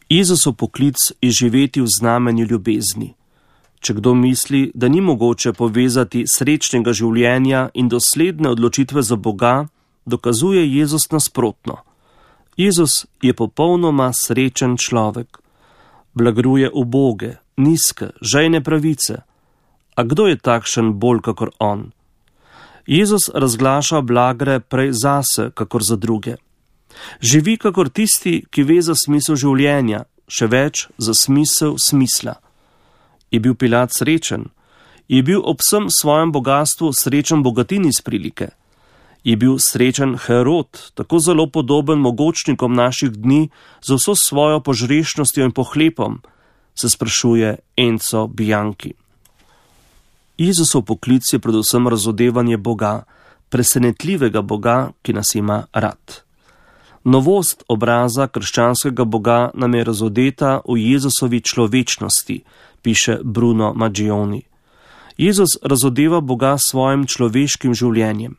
Jezusov poklic je živeti v znamenju ljubezni. Če kdo misli, da ni mogoče povezati srečnega življenja in dosledne odločitve za Boga, dokazuje Jezus nasprotno. Jezus je popolnoma srečen človek. Blagruje uboge, nizke, žejne pravice. A kdo je takšen bolj kakor on? Jezus razglaša blagre prej zase, kakor za druge. Živi kakor tisti, ki ve za smisel življenja, še več za smisel smisla. Je bil Pilat srečen? Je bil ob vsem svojem bogatstvu srečen bogatin iz prilike? Je bil srečen Herod, tako zelo podoben mogočnikom naših dni, za vso svojo požrešnostjo in pohlepom, se sprašuje Enzo Bianchi. Jezusov poklic je predvsem razodevanje Boga, presenetljivega Boga, ki nas ima rad. Novost obraza krščanskega Boga nam je razodeta v Jezusovi človečnosti, piše Bruno Maggioni. Jezus razodeva Boga s svojim človeškim življenjem.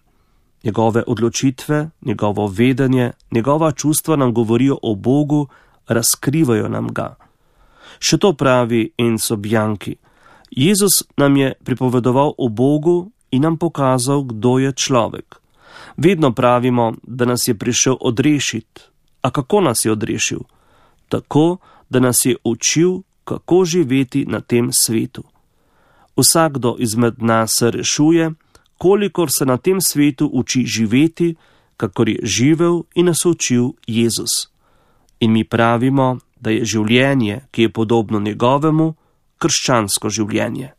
Njegove odločitve, njegovo vedenje, njegova čustva nam govorijo o Bogu, razkrivajo nam ga. Še to pravi Enzo Bianchi. Jezus nam je pripovedoval o Bogu in nam pokazal, kdo je človek. Vedno pravimo, da nas je prišel odrešiti. A kako nas je odrešil? Tako, da nas je učil, kako živeti na tem svetu. Vsakdo izmed nas se rešuje, kolikor se na tem svetu uči živeti, kakor je živel in nas učil Jezus. In mi pravimo, da je življenje, ki je podobno njegovemu, krščansko življenje.